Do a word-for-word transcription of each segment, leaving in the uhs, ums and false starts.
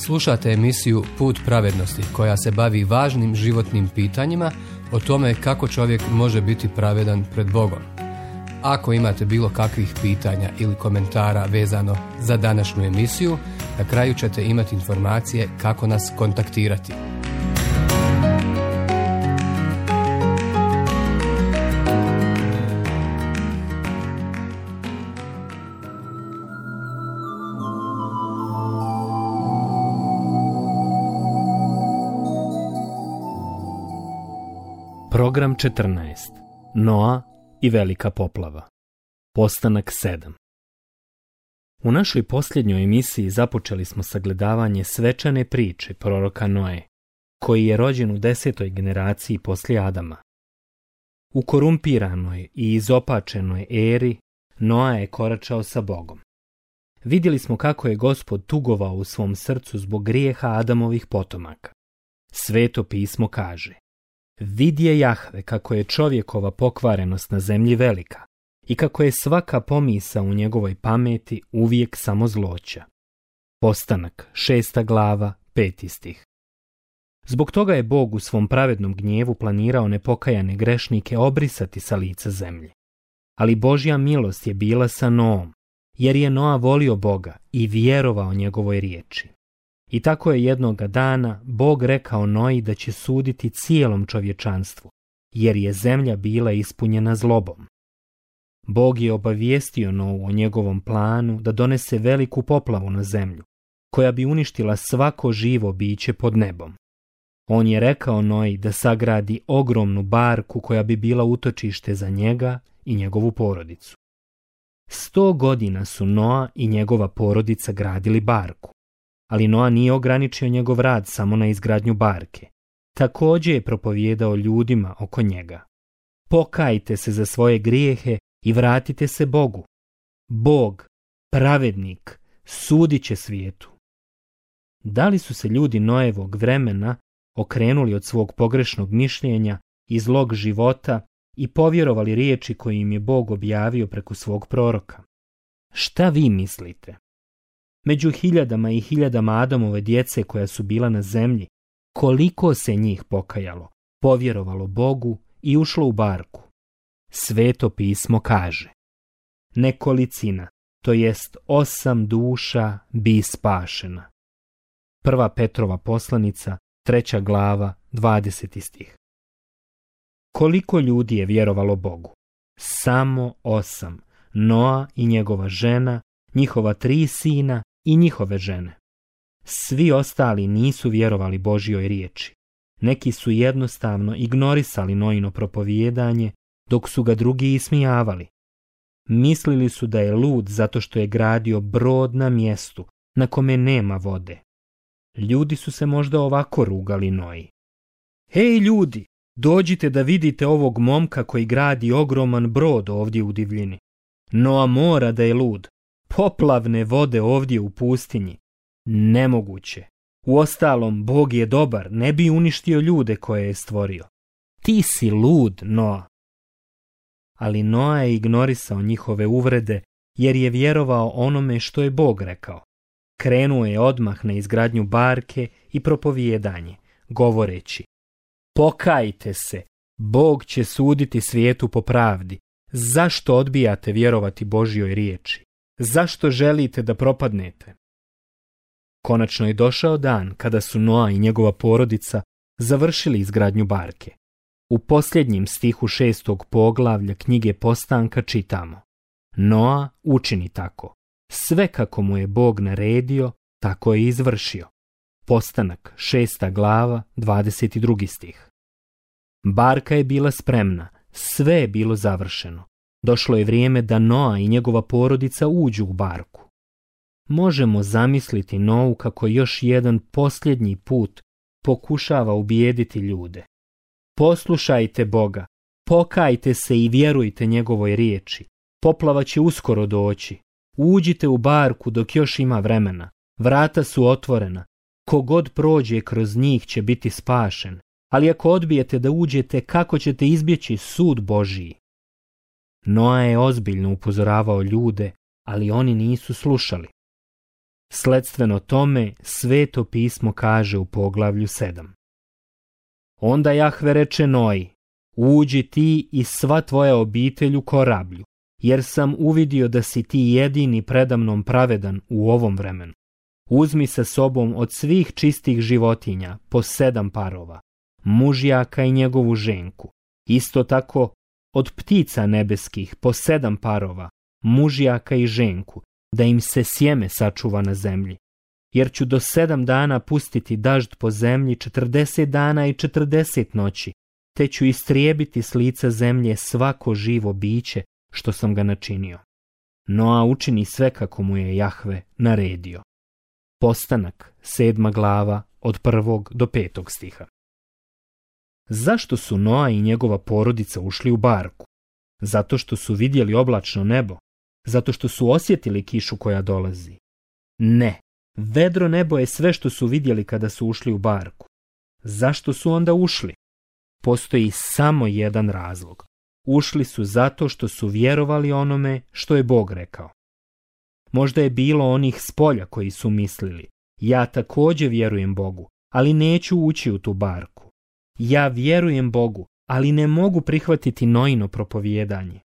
Slušate emisiju Put pravednosti koja se bavi važnim životnim pitanjima o tome kako čovjek može biti pravedan pred Bogom. Ako imate bilo kakvih pitanja ili komentara vezano za današnju emisiju, na kraju ćete imati informacije kako nas kontaktirati. Program četrnaest. Noa i velika poplava. Postanak sedam. U našoj posljednjoj emisiji započeli smo sagledavanje svečane priče proroka Noe, koji je rođen u desetoj generaciji poslije Adama. U korumpiranoj i izopačenoj eri Noa je koračao sa Bogom. Vidjeli smo kako je Gospod tugovao u svom srcu zbog grijeha Adamovih potomaka. Sveto pismo kaže: vidje Jahve kako je čovjekova pokvarenost na zemlji velika i kako je svaka pomisa u njegovoj pameti uvijek samo zloća. Postanak, šesta glava, peti stih. Zbog toga je Bog u svom pravednom gnjevu planirao nepokajane grešnike obrisati sa lica zemlje. Ali Božja milost je bila sa Noom, jer je Noa volio Boga i vjerovao njegovoj riječi. I tako je jednoga dana Bog rekao Noji da će suditi cijelom čovječanstvu, jer je zemlja bila ispunjena zlobom. Bog je obavijestio Novu o njegovom planu da donese veliku poplavu na zemlju, koja bi uništila svako živo biće pod nebom. On je rekao Noji da sagradi ogromnu barku koja bi bila utočište za njega i njegovu porodicu. Sto godina su Noa i njegova porodica gradili barku. Ali Noa nije ograničio njegov rad samo na izgradnju barke. Također je propovijedao ljudima oko njega: pokajte se za svoje grijehe i vratite se Bogu. Bog, pravednik, sudit će svijetu. Da li su se ljudi Noevog vremena okrenuli od svog pogrešnog mišljenja i zlog života i povjerovali riječi koje im je Bog objavio preko svog proroka? Šta vi mislite? Među hiljadama i hiljadama Adamove djece koja su bila na zemlji, koliko se njih pokajalo, povjerovalo Bogu i ušlo u barku? Sveto pismo kaže: nekolicina, to jest osam duša, bi spašena. Prva Petrova poslanica, treća glava, dvadeseti stih. Koliko ljudi je vjerovalo Bogu? Samo osam. Noa i njegova žena, njihova tri sina i njihove žene. Svi ostali nisu vjerovali Božjoj riječi. Neki su jednostavno ignorisali Noino propovijedanje, dok su ga drugi ismijavali. Mislili su da je lud zato što je gradio brod na mjestu na kome nema vode. Ljudi su se možda ovako rugali Noji: hej ljudi, dođite da vidite ovog momka koji gradi ogroman brod ovdje u divljini. Noa mora da je lud. Poplavne vode ovdje u pustinji. Nemoguće. Uostalom, Bog je dobar, ne bi uništio ljude koje je stvorio. Ti si lud, Noa. Ali Noa je ignorisao njihove uvrede, jer je vjerovao onome što je Bog rekao. Krenuo je odmah na izgradnju barke i propovijedanje, govoreći: pokajte se, Bog će suditi svijetu po pravdi. Zašto odbijate vjerovati Božjoj riječi? Zašto želite da propadnete? Konačno je došao dan kada su Noa i njegova porodica završili izgradnju barke. U posljednjim stihu šestog poglavlja knjige Postanka čitamo: Noa učini tako. Sve kako mu je Bog naredio, tako je izvršio. Postanak, šesta glava, dvadeset drugi stih. Barka je bila spremna, sve je bilo završeno. Došlo je vrijeme da Noa i njegova porodica uđu u barku. Možemo zamisliti Nou kako još jedan posljednji put pokušava ubijediti ljude. Poslušajte Boga, pokajte se i vjerujte njegovoj riječi. Poplava će uskoro doći. Uđite u barku dok još ima vremena. Vrata su otvorena. Kogod prođe kroz njih će biti spašen. Ali ako odbijete da uđete, kako ćete izbjeći sud Božiji? Noa je ozbiljno upozoravao ljude, ali oni nisu slušali. Sledstveno tome Sveto pismo kaže u poglavlju sedam. Onda Jahve reče Noji, uđi ti i sva tvoja obitelj u korablju, jer sam uvidio da si ti jedini predamnom pravedan u ovom vremenu. Uzmi sa sobom od svih čistih životinja po sedam parova, mužjaka i njegovu ženku. Isto tako od ptica nebeskih po sedam parova, mužjaka i ženku, da im se sjeme sačuva na zemlji. Jer ću do sedam dana pustiti dažd po zemlji četrdeset dana i četrdeset noći, te ću istrijebiti s lica zemlje svako živo biće što sam ga načinio. Noa učini sve kako mu je Jahve naredio. Postanak, sedma glava, od prvog do petog stiha. Zašto su Noa i njegova porodica ušli u barku? Zato što su vidjeli oblačno nebo? Zato što su osjetili kišu koja dolazi? Ne, vedro nebo je sve što su vidjeli kada su ušli u barku. Zašto su onda ušli? Postoji samo jedan razlog. Ušli su zato što su vjerovali onome što je Bog rekao. Možda je bilo onih s polja koji su mislili, ja također vjerujem Bogu, ali neću ući u tu barku. Ja vjerujem Bogu, ali ne mogu prihvatiti Noino propovijedanje.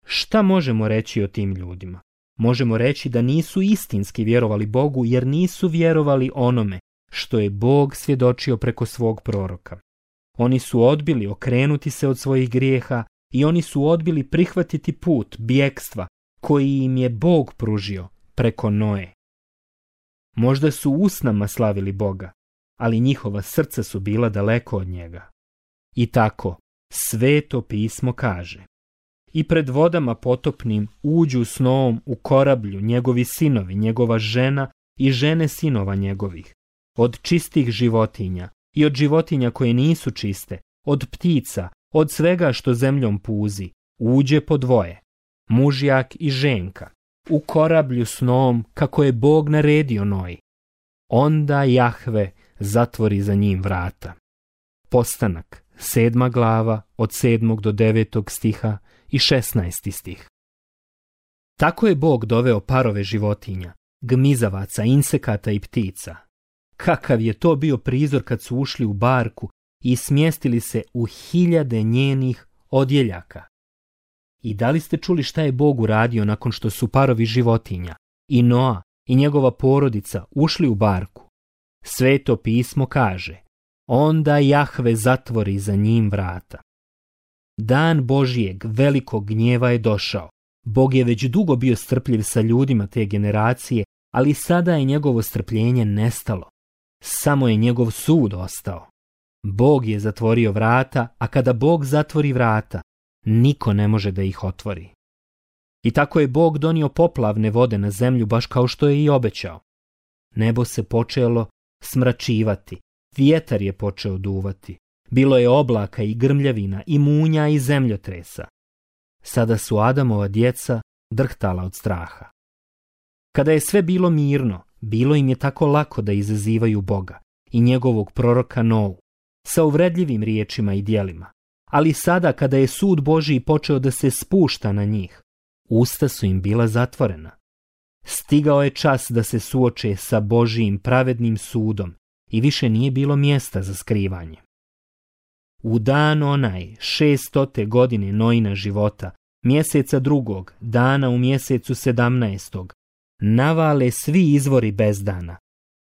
Šta možemo reći o tim ljudima? Možemo reći da nisu istinski vjerovali Bogu jer nisu vjerovali onome što je Bog svjedočio preko svog proroka. Oni su odbili okrenuti se od svojih grijeha i oni su odbili prihvatiti put bjekstva koji im je Bog pružio preko Noe. Možda su usnama slavili Boga, ali njihova srca su bila daleko od njega. I tako, Sveto pismo kaže: i pred vodama potopnim uđu s Noom u korablju njegovi sinovi, njegova žena i žene sinova njegovih, od čistih životinja i od životinja koje nisu čiste, od ptica, od svega što zemljom puzi, uđe po dvoje, mužjak i ženka, u korablju s Noom kako je Bog naredio Noji. Onda Jahve zatvori za njim vrata. Postanak, sedma glava, od sedmog do devetog stiha i šesnaesti stih. Tako je Bog doveo parove životinja, gmizavaca, insekata i ptica. Kakav je to bio prizor kad su ušli u barku i smjestili se u hiljade njenih odjeljaka. I da li ste čuli šta je Bog uradio nakon što su parovi životinja, i Noa i njegova porodica ušli u barku? Sveto pismo kaže: onda Jahve zatvori za njim vrata. Dan Božijeg velikog gnjeva je došao. Bog je već dugo bio strpljiv sa ljudima te generacije, ali sada je njegovo strpljenje nestalo. Samo je njegov sud ostao. Bog je zatvorio vrata, a kada Bog zatvori vrata, niko ne može da ih otvori. I tako je Bog donio poplavne vode na zemlju baš kao što je i obećao. Nebo se počelo smračivati, vjetar je počeo duvati. Bilo je oblaka i grmljavina i munja i zemljotresa. Sada su Adamova djeca drhtala od straha. Kada je sve bilo mirno, bilo im je tako lako da izazivaju Boga i njegovog proroka Novu sa uvredljivim riječima i djelima. Ali sada kada je sud Božiji počeo da se spušta na njih, usta su im bila zatvorena. Stigao je čas da se suoče sa Božijim pravednim sudom i više nije bilo mjesta za skrivanje. U dan onaj šestote godine Noina života, mjeseca drugog, dana u mjesecu sedamnaestog, navale svi izvori bezdana,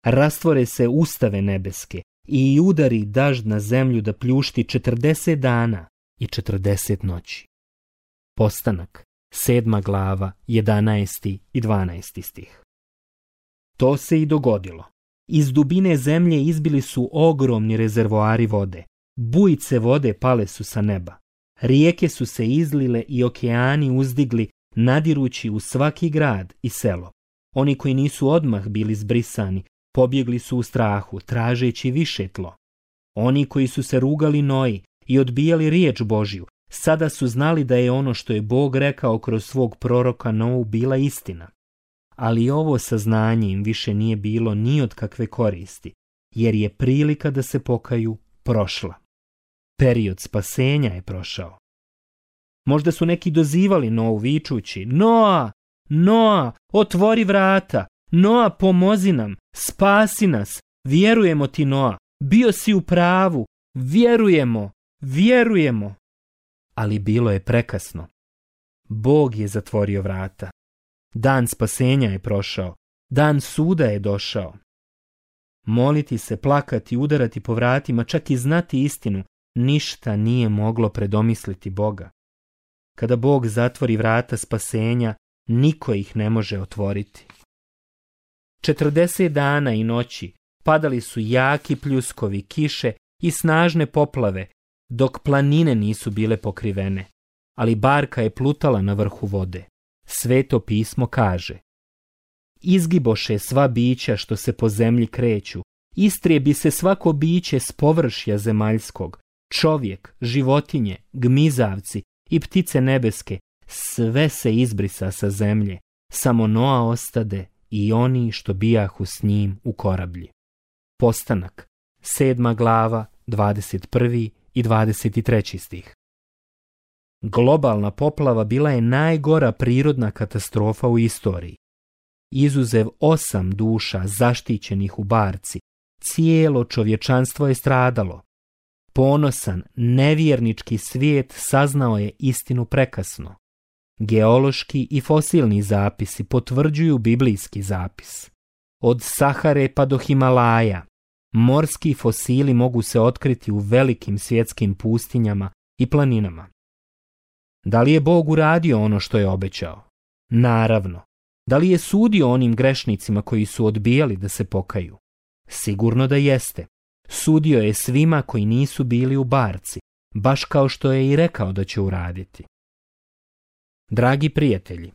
rastvore se ustave nebeske i udari dažd na zemlju da pljušti četrdeset dana i četrdeset noći. Postanak, sedma glava, jedanaesti i dvanaesti stih. To se i dogodilo. Iz dubine zemlje izbili su ogromni rezervoari vode. Bujice vode pale su sa neba. Rijeke su se izlile i okeani uzdigli, nadirući u svaki grad i selo. Oni koji nisu odmah bili zbrisani, pobjegli su u strahu, tražeći više tlo. Oni koji su se rugali Noji i odbijali riječ Božju, sada su znali da je ono što je Bog rekao kroz svog proroka Novu bila istina. Ali ovo saznanje im više nije bilo ni od kakve koristi, jer je prilika da se pokaju prošla. Period spasenja je prošao. Možda su neki dozivali Novu vičući: Noa, Noa, otvori vrata, Noa, pomozi nam, spasi nas, vjerujemo ti, Noa, bio si u pravu, vjerujemo, vjerujemo. Ali bilo je prekasno. Bog je zatvorio vrata. Dan spasenja je prošao, dan suda je došao. Moliti se, plakati, udarati po vratima, čak i znati istinu, ništa nije moglo predomisliti Boga. Kada Bog zatvori vrata spasenja, niko ih ne može otvoriti. Četrdeset dana i noći padali su jaki pljuskovi, kiše i snažne poplave, dok planine nisu bile pokrivene, ali barka je plutala na vrhu vode. Sveto pismo kaže: izgiboše sva bića što se po zemlji kreću, istrijebi se svako biće s površja zemaljskog, čovjek, životinje, gmizavci i ptice nebeske, sve se izbrisa sa zemlje, samo Noa ostade i oni što bijahu s njim u korablji. Postanak, sedma glava, dvadeset prvi i dvadeset treći stih. Globalna poplava bila je najgora prirodna katastrofa u istoriji. Izuzev osam duša zaštićenih u barci, cijelo čovječanstvo je stradalo. Ponosan, nevjernički svijet saznao je istinu prekasno. Geološki i fosilni zapisi potvrđuju biblijski zapis. Od Sahare pa do Himalaja, morski fosili mogu se otkriti u velikim svjetskim pustinjama i planinama. Da li je Bog uradio ono što je obećao? Naravno. Da li je sudio onim grešnicima koji su odbijali da se pokaju? Sigurno da jeste. Sudio je svima koji nisu bili u barci, baš kao što je i rekao da će uraditi. Dragi prijatelji,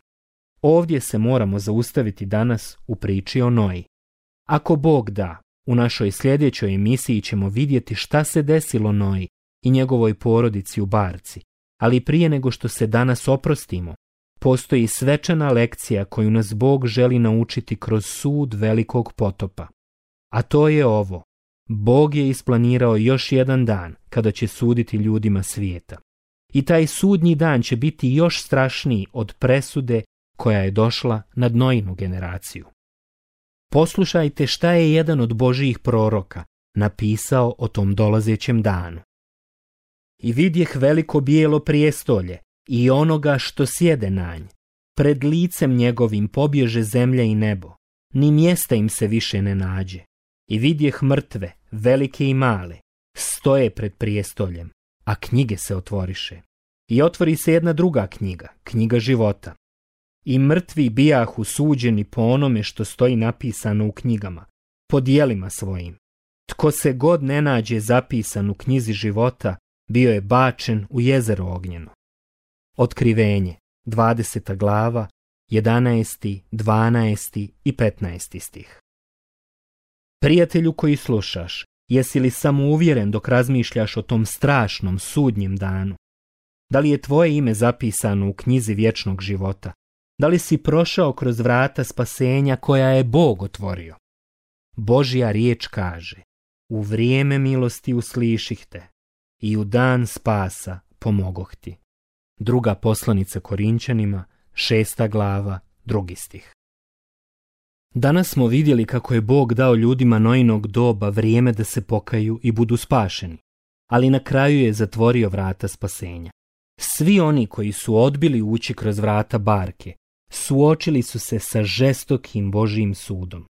ovdje se moramo zaustaviti danas u priči o Noji. Ako Bog da, u našoj sljedećoj emisiji ćemo vidjeti šta se desilo Noji i njegovoj porodici u barci, ali prije nego što se danas oprostimo, postoji svečana lekcija koju nas Bog želi naučiti kroz sud velikog potopa. A to je ovo: Bog je isplanirao još jedan dan kada će suditi ljudima svijeta. I taj sudnji dan će biti još strašniji od presude koja je došla nad Noinu generaciju. Poslušajte šta je jedan od Božijih proroka napisao o tom dolazećem danu. I vidjeh veliko bijelo prijestolje i onoga što sjede na nj. Pred licem njegovim pobježe zemlja i nebo, ni mjesta im se više ne nađe. I vidjeh mrtve, velike i male, stoje pred prijestoljem, a knjige se otvoriše. I otvori se jedna druga knjiga, knjiga života. I mrtvi bijahu suđeni po onome što stoji napisano u knjigama, po dijelima svojim. Tko se god ne nađe zapisan u knjizi života, bio je bačen u jezero ognjeno. Otkrivenje, dvadeseta glava, jedanaesti, dvanaesti i petnaesti stih. Prijatelju koji slušaš, jesi li samo uvjeren dok razmišljaš o tom strašnom sudnjem danu? Da li je tvoje ime zapisano u knjizi vječnog života? Da li si prošao kroz vrata spasenja koja je Bog otvorio? Božja riječ kaže: u vrijeme milosti usliših te i u dan spasa pomogoh ti. Druga poslanica Korinćanima, šesta glava, drugi stih. Danas smo vidjeli kako je Bog dao ljudima Noinog doba vrijeme da se pokaju i budu spašeni, ali na kraju je zatvorio vrata spasenja. Svi oni koji su odbili ući kroz vrata barke, suočili su se sa žestokim Božijim sudom.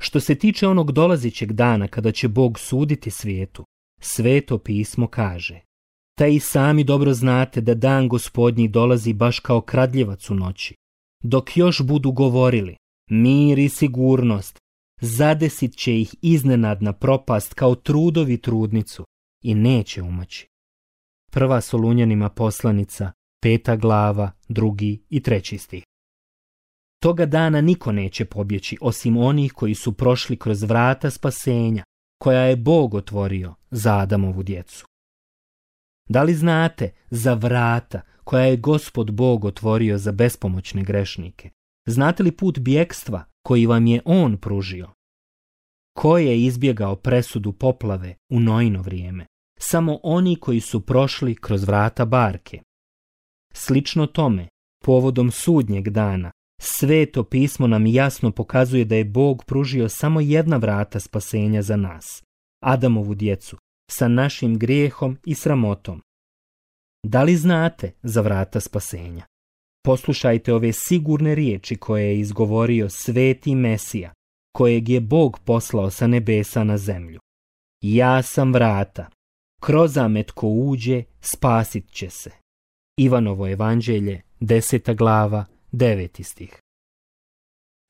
Što se tiče onog dolazećeg dana kada će Bog suditi svijetu, Sveto pismo kaže: taj i sami dobro znate da dan Gospodnji dolazi baš kao kradljivac u noći. Dok još budu govorili mir i sigurnost, zadesit će ih iznenadna propast kao trudovi trudnicu i neće umaći. Prva Solunjanima poslanica, peta glava, drugi i treći stih. Toga dana niko neće pobjeći osim onih koji su prošli kroz vrata spasenja koja je Bog otvorio za Adamovu djecu. Da li znate za vrata koja je Gospod Bog otvorio za bespomoćne grešnike? Znate li put bjekstva koji vam je On pružio? Ko je izbjegao presudu poplave u Noino vrijeme? Samo oni koji su prošli kroz vrata barke. Slično tome, povodom sudnjeg dana, Sveto pismo nam jasno pokazuje da je Bog pružio samo jedna vrata spasenja za nas, Adamovu djecu, sa našim grijehom i sramotom. Da li znate za vrata spasenja? Poslušajte ove sigurne riječi koje je izgovorio sveti Mesija, kojeg je Bog poslao sa nebesa na zemlju. Ja sam vrata, kroz zamet tko uđe, spasit će se. Ivanovo evanđelje, deseta glava, deveti stih.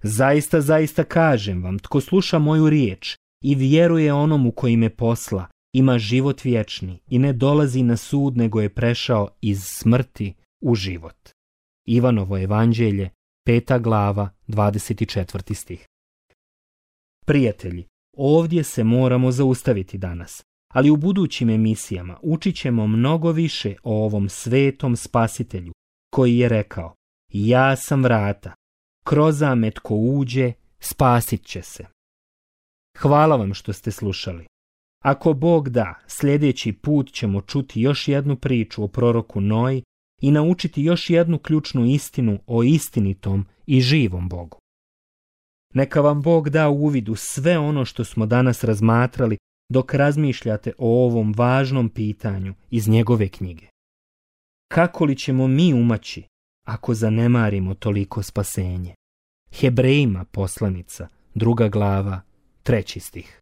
Zaista, zaista kažem vam, tko sluša moju riječ i vjeruje onomu koji me posla, ima život vječni i ne dolazi na sud, nego je prešao iz smrti u život. Ivanovo evanđelje, peta glava, dvadeset četvrti stih. Prijatelji, ovdje se moramo zaustaviti danas, ali u budućim emisijama učit ćemo mnogo više o ovom svetom spasitelju koji je rekao: ja sam vrata, kroz zamet tko uđe, spasit će se. Hvala vam što ste slušali. Ako Bog da, sljedeći put ćemo čuti još jednu priču o proroku Noji i naučiti još jednu ključnu istinu o istinitom i živom Bogu. Neka vam Bog da uvid u sve ono što smo danas razmatrali dok razmišljate o ovom važnom pitanju iz njegove knjige. Kako li ćemo mi umaći ako zanemarimo toliko spasenje? Hebrejima poslanica, druga glava, treći stih.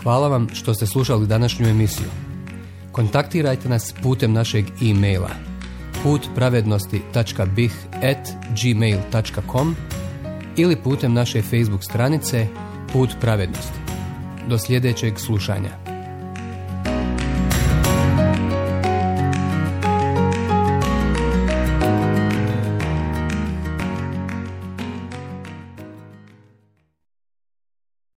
Hvala vam što ste slušali današnju emisiju. Kontaktirajte nas putem našeg e-maila put pravednosti tačka b i h at gmail tačka com ili putem naše Facebook stranice Put pravednosti. Do sljedećeg slušanja.